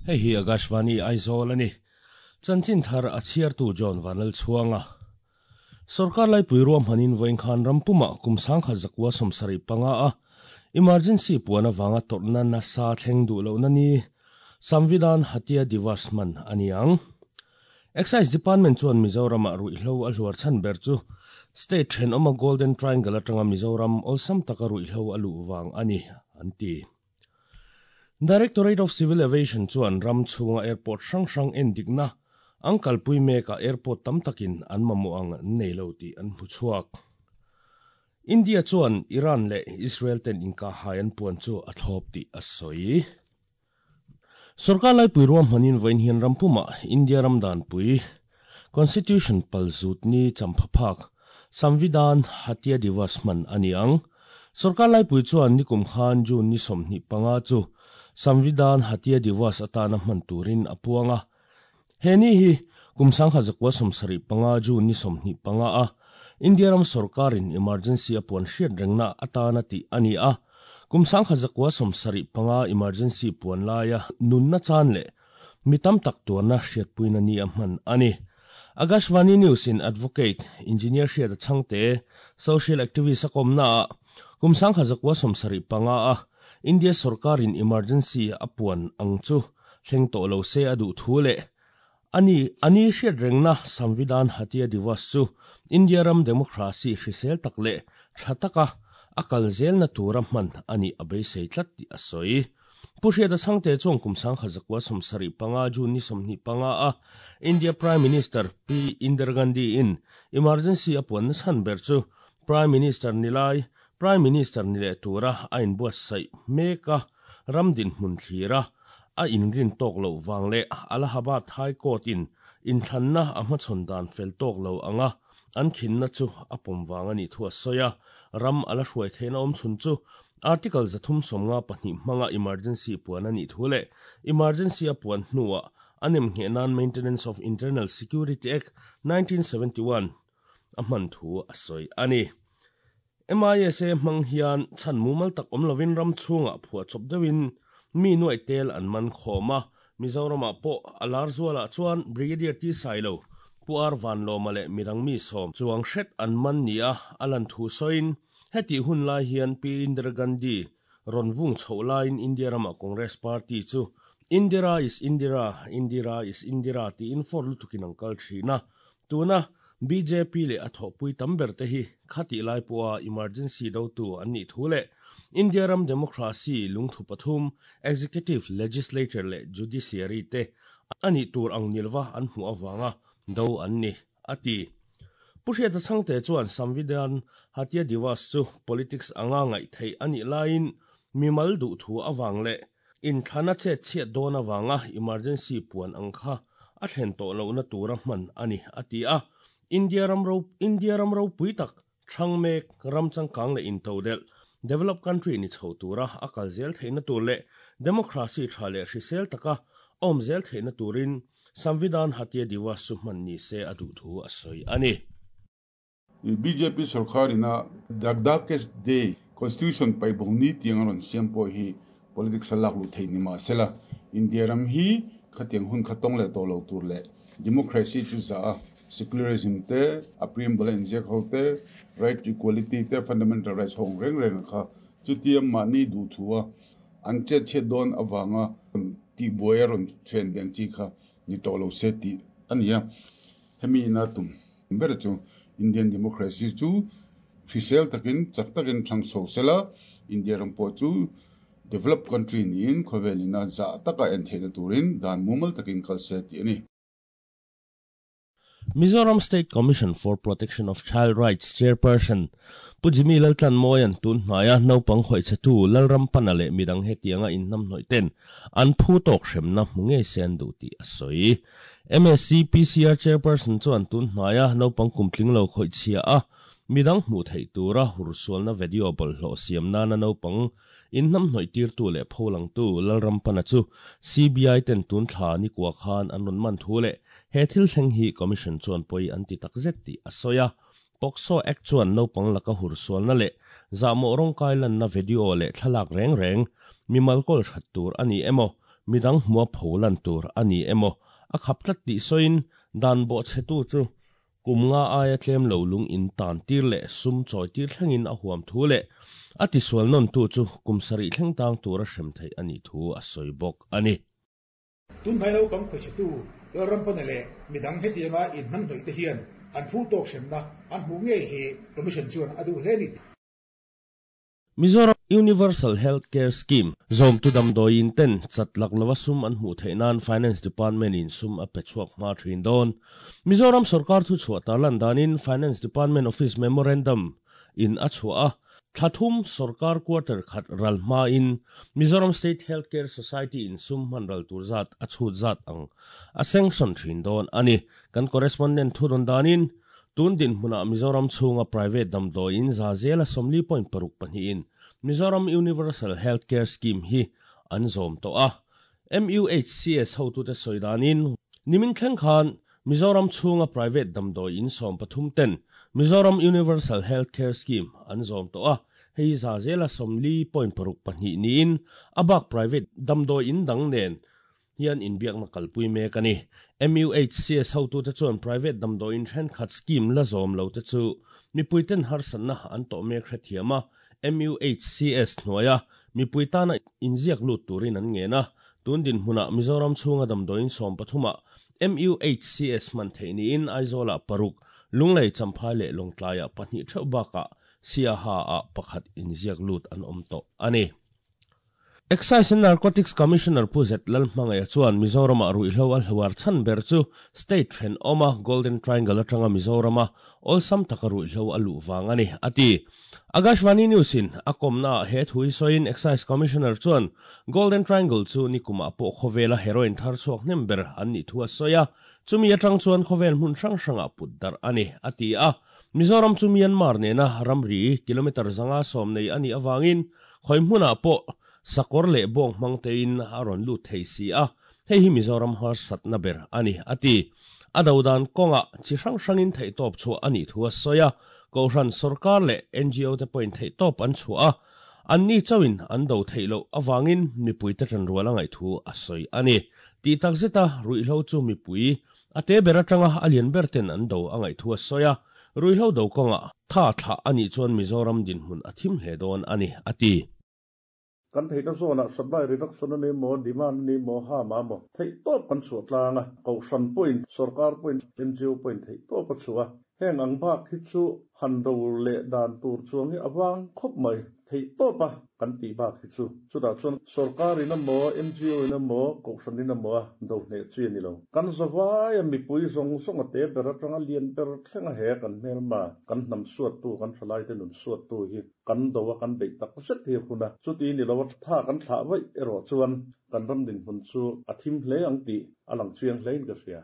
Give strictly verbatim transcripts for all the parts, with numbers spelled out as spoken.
Hei hi Akashvani Aizawl ani. Chanchin thar a chhiartu John Vanal Chhuanga. Sarkar lai pui ruam hanin voin khan rampuma kum sangkha zakwa somsari panga a emergency puana wanga torna na sa thleng du lo na ni Samvidhan Hatia Divas man aniang. Excise Department chuan Mizoram a ruihhlo a hluar chan ber chu State then oma Golden Triangle atanga Mizoram awlsam taka ruihhlo a luh wang ani anti. Directorate of Civil Aviation chuan ram chhunga airport hrang hrang en dikna angkal pui meka airport tam takin an mamu ang nei lo ti an hmu chhuak. India chuan Iran le Israel ten inka hayan puan chu a thlawp ti a sawi. Sarkar lai pui ruam hanin vain hian rampuma India ramdan pui Constitution palzut ni champhaphak Samvidhan Hatia Divas man aniang. Sarkar lai pui chuan nikum khan June ni somni panga chu Samvidhan Hatia Divas atana man turin apuanga. Heni hi kumsang kha zakwa somsari panga June ni somni panga a India ram sarkarin emergency apuan hriat rengna atana ti ani a. Kumsang kha zakwa somsari panga emergency puan laia nunna chan le mitam tak tuarna hriat puina ni a man ani. Akashvani News in advocate engineer hriat changte social activist akomna kumsang kha zakwa somsari panga a India sarkarin emergency apuan angchu thleng to lo se adu thule ani ani hriat rengna Samvidhan Hatia Divas chu India ram democracy hrisel takle thataka akal zel na tura man ani abei sei tlat ti asoi. Puhriat changte chong kumsang kha zakwa somsari panga June ni somni panga a India Prime Minister P Indira Gandhi in emergency apuan chan ber chu Prime Minister nilai Prime Minister nile tura ain buat sai meka ramdin hmun thlira a inrin tok lo wangle Allahabad High Court in in thanna a hmachhawn dan fel tok lo anga an khinna chu apum wanga ni thua soya ram ala hruai theina awm chhun chu Article zathum somnga pahnih hmanga emergency puan ani thule emergency a puan hnuah anem nge nan Maintenance of Internal Security Act nineteen seventy-one a hman thu a sawi ani. M I S A hmang hian chan mumal tak awm lovin ram chhunga phua chawp deuhin mi nuai tel an man khawma Mizorama pawh alar zuala chuan Brigadier T Sailo Puar Van Loma le mirang mi som chuang hret an man nia alan thu soin heti hun lai hian P Indira Gandhi ronvung chho lain India rama Congress Party chu Indira is Indira Indira is Indira ti in for lutukin angkal thina tuna B J P le a thawpui tam ber te hi khati lai puwa emergency do tu an ni thule India ram democracy lungthu pathum executive legislature le judiciary te ani tur ang nilwa an hmu awanga do an ni ati. Puhriat changte chuan Samvidhan Hatia Divas chu politics anga ngai thei ani lain mimal du thu awang le in thana che che don awanga emergency puan angkha a thlen to lo na tura man ani ati a. India ram ro India ram ro puitak thangmek ram changkang le in todel developed country ni chho tura akal zel theina tur le democracy thale hrisel taka awm zel theina turin Samvidhan Hatia Divas chu man ni se adu thu a sawi ani. B J P sarkar ina the darkest day constitution pai bongni tiang ron siam po hi politics alak lu thei ni ma sela India ram hi khatiang hun khatong le to lo tur le democracy chu za secularism te a preamble in jek hote right to equality te fundamental rights hong reng reng kha chutiam ma ni du thua an che che don awanga ti boy ron chen beng chi kha ni to lo se ti ania hemi na tum ber chu Indian democracy chu fisel takin chak takin thang so sela India ram po chu developed country ni in khovelina za taka en theina turin dan mumal takin kal se ti ani. Mizoram State Commission for Protection of Child Rights Chairperson Pujimi Laltlan Moyan tun hnaya naupang khoi chatu Lalram panale midang hetianga in nam hnoi ten an phu tok hremna hmunge sen du ti asoi. M S C P C R Chairperson chuan tun hnaya naupang kumtling lo khoi chhia a midang hmu thei tura hursualna video bol hlo siam na na naupang in nam hnoi tir tu le pholang tu Lalram pana chu C B I ten tun thla ni kwa khan an ron man thu le he thil thleng hi commission chuan poi anti takzet ti asoya POCSO Act chuan naupang laka hursualna le zamo rong kai lan na video le thlalak reng reng mimal kol that tur ani emo Midang hmua pholan tur ani emo a khap tlat ti soin dan bo chetu chu kumnga aia tlem lo lung in tan tir le sum choi tir thlengin a huam thu le ati sual non tu chu kumsari thleng tang tur a hrem thei ani thu a soibok ani tun thai lo bang khoi chetu ram panele midang hetianga in nam hnoi te hian an phu tok hremna an hmu nge he commission chuan adu hleni. Mizoram Universal Healthcare Scheme zom tu dam doin ten chatlak lawa sum an hmu theinan Finance Department in sum a pechuak ma thin don. Mizoram sarkar thu chhuah tarlan danin Finance Department Office Memorandum in a chhuah thathum sarkar quarter khat ralma in Mizoram State Healthcare Society in sum manral turzat a chhut zat ang a sanction thin don ani. Kan correspondent thudon danin tun din hmuna Mizoram chhunga private dam doin za zela somli point paruk pahnih in Mizoram Universal Healthcare Scheme hi an zom to a. M U H C S ho tu te soidanin nimin thleng khan Mizoram chhunga private dam doin som pathum ten Mizoram Universal Healthcare Scheme an zom to a. Hei za zela somli point paruk pahnih niin abak private dam doin dang nen hian inbiak na kalpui mek ani. M U H C S ho tu te chuan private dam doin then khat scheme la zom lo te chu mipuiten harsan na an to mek hrethiama M U H C S hnuaia mipuitana inziak lut turin an nge na. Tun din hmuna Mizoram chhunga dam doin som pathuma M U H C S man theini in Aizola paruk Lunglei Champhai le Longtlaiah pahnih theuh baka Siaha a pakhat inziak lut an awm tawh ani. Excise and Narcotics Commissioner Puzet Lalhmangaya chuan Mizoram a ruihhlo a hluar chan ber chu state then oma Golden Triangle atanga Mizorama awlsam taka ruihhlo a luh wang ani ati. Akashvani News in a kawmna he thui soin Excise Commissioner chuan Golden Triangle chu nikuma pawh khawvela heroin thar chhuak hnem ber an nih thu a sawi a, chumi atang chuan khawvel hmun hrang hranga put dar ani ati a. Mizoram chu Myanmar nena ramri kilometer zanga sawm nei ani awangin khoi hmunah pawh sakor le bong mangtein aron lu thei si a, hei hi Mizoram har satna ber ani ati. Adodan konga chi hrang hrangin thei top chu ani thu a sawi a, kohhran sarkar le N G O te point thei top an chu a, an ni chawin an do thei lo awangin mipui te tran rual angai thu a sawi ani. Ti takzeta ruihhlo chu mipui ate ber atanga alian ber ten an do angai thu a sawi a, ruihhlo do konga tha thla ani chuan Mizoram din hmun a thim hle dawn ani ati. Kan thei ta zona supply reduction ani mo demand ni mo ha ma mo thei top kan chu tlanga ko shan point sarkar point N G O point thei top chuwa heng ang ba khi chu han do le dan tur chuang hi awang khop mai thei top a kan ti ba khi chu chu da chuan sarkar ina mo N G O ina mo ko shan ina mo do ne chi ni lo kan zawai mi pui zong song ate ber atanga lian ber thlenga he kan mel ma kan nam suat tu kan thalai te nun suat tu hi kan do wa kan bei tak set hi khuna chu ti ni lo tha kan thla vai ero chuan kan ram din hun chu athim hle ang ti alang chiang hlein ka ria.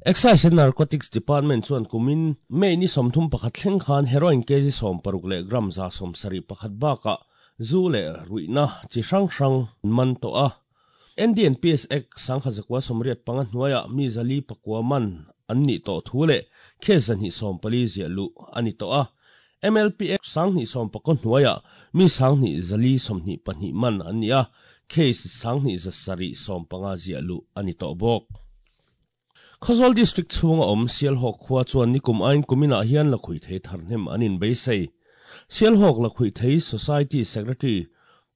Excise and Narcotics Department chuan kumin May ni somthum pakhat thleng khan heroin kg som paruk le gram za som sari pakhat baka zu le ruina chi hrang hrang man to a. N D N P S Act sangkha zakwa somriat panga hnuaia mi zali pakwa man an ni to thu le khe zan hi som pali zia lu ani to a. M L P Act sang ni som pakon hnuaia mi sang ni zali som ni pahnih man an ni a, case sang ni za sari som panga zia lu ani to bok. Khawzawl District chhunga awm Sialhawk khua chuan nikum ain kumina hian la khui thei tharhnem anin beisei. Sialhawk la khui thei Society Secretary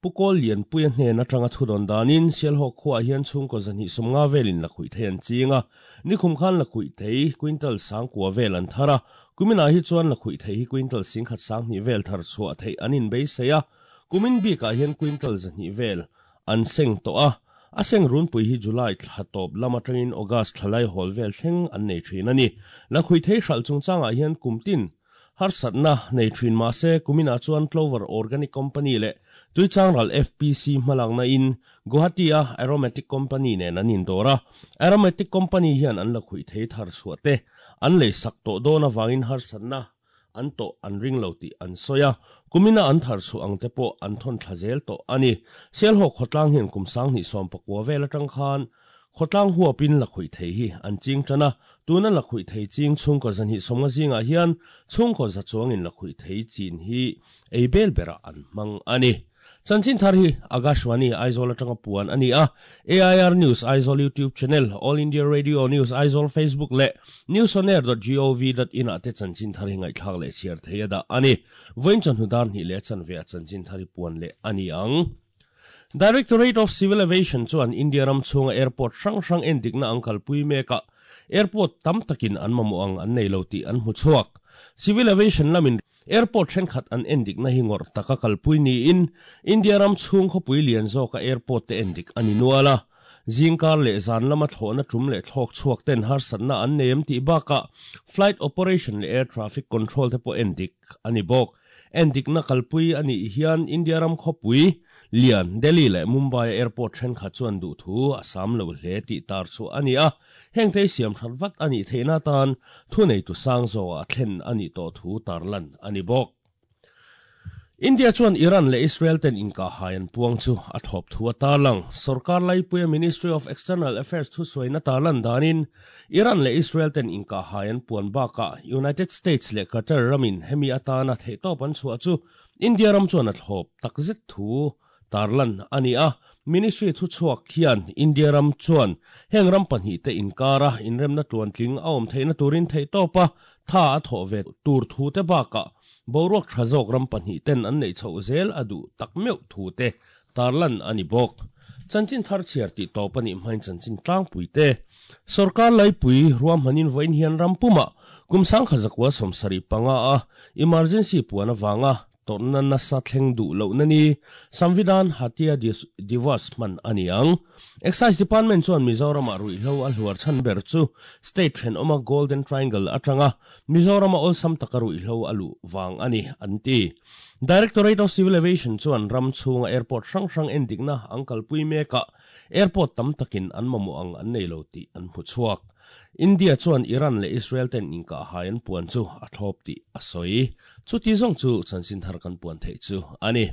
Pukol Lian Puia hnen atanga thudon danin Sialhawk khua hian chhungkaw zahnih sawmnga velin la khui thei an chinga. Nikhum khan la khui thei quintal sang kua vel an thara. Kumina hi chuan la khui thei hi quintal singkhat sang hnih vel thar chhuah thei anin beisei a. Kumin bikah hian quintal zahnih vel an seng to a. A seng run pui hi July thla tawp lama tangin August thlalai hawl vel thleng an nei thin ani. La khui thei hral chungchangah hian kumtin harsatna nei thin ma se kumina chuan Clover Organic Company le Tuichangral F P C hmalakna in Guwahati a Aromatic Company nen an indawr a. Aromatic Company hian an la khui thei thar chhuah te an lei sak tawh dawn awangin harsatna an to an ring lo ti an soya kumina an thar chu ang te pawh an thon thla zel tawh ani. Sialhawk khawtlang hian kum sang hnih sawm pakua vel atang khan khawtlang huapin la khui thei hi an ching tana. Tuna la khui thei ching chhungkaw zahnih sawmnga zingah hian chhungkaw za chuangin la khui thei chin hi ei bel bera an hmang ani. Chanchin thar hi Akashvani Aizawl atanga puan ani a. A I R News Aizawl YouTube channel, All India Radio News Aizawl Facebook le newsonair dot gov dot in ate chanchin thar hi ngaihthlak le chhiar theia da ani. Voin chan hudar ni le chan ve a chanchin thar hi puan le ani ang. Directorate of Civil Aviation chuan India ram chhunga airport hrang hrang endikna ang kalpui meka airport tam takin an mamawh ang an nei lo tih an hmu chhuak. Civil Aviation lamin airport thenkhat an endik na hi ngawr taka kalpui niin India ram chhung khawpui lian zawka airport te endik ani nuala. Zingkar leh zan lama thlawhna tum leh thlawk chhuak ten harsatna an nei em tih bakah flight operation leh air traffic control te pawh endik ani bawk. Endik na kalpui ani hian India ram khawpui lian Delhi leh Mumbai airport thenkhat chuan duh thu a sam lo hle tih tar chu ani a. Heng thei siam that vat ani theina tan thu nei tu sang zo a thlen ani to thu tarlan ani bawk. India chuan Iran le Israel ten inka hayan puang chu a thop thu a tarlang. Sarkar laipuia Ministry of External Affairs thu soina tarlan danin Iran le Israel ten inka hayan puan baka United States le Qatar ramin hemi atana theitop an chua chu India ram chuan a thlop takzet thu tarlan ani a. Ministry thu chuak hian India ram chuan heng ram pahnih te inkara inremna tluan tling a awm theihna turin theihtopa tha a thawh ve tur thu te baka boruak tha zawk ram pahnih ten an nei chho zel a duh tak meuh thu te tarlan ani bawk. Chanchin thar chhiar tih tawp ani hmain chanchin tlangpui te. Sarkar laipui ruam hanin voin hian rampuma kum sangkha zakwa sawmsarih panga a emergency puan awanga torna nasa thleng duh loh na ni Samvidhan Hatya Diwas man ani ang. Excise Department chuan Mizoram ah ruihhlo a hluar chhan ber chu state then awma Golden Triangle atanga Mizoram a awlsam taka ruihhlo a luh wang ani an ti. Directorate of Civil Aviation chuan ram chhunga airport hrang hrang endikna ang kalpui meka airport tam takin an mamawh ang an nei lo tih an hmu chhuak. India chuan Iran le Israel ten inka hayan puan chu a thlawp tih a sawi. Chu ti zawng chu chanchin thar kan puan theih chu ani.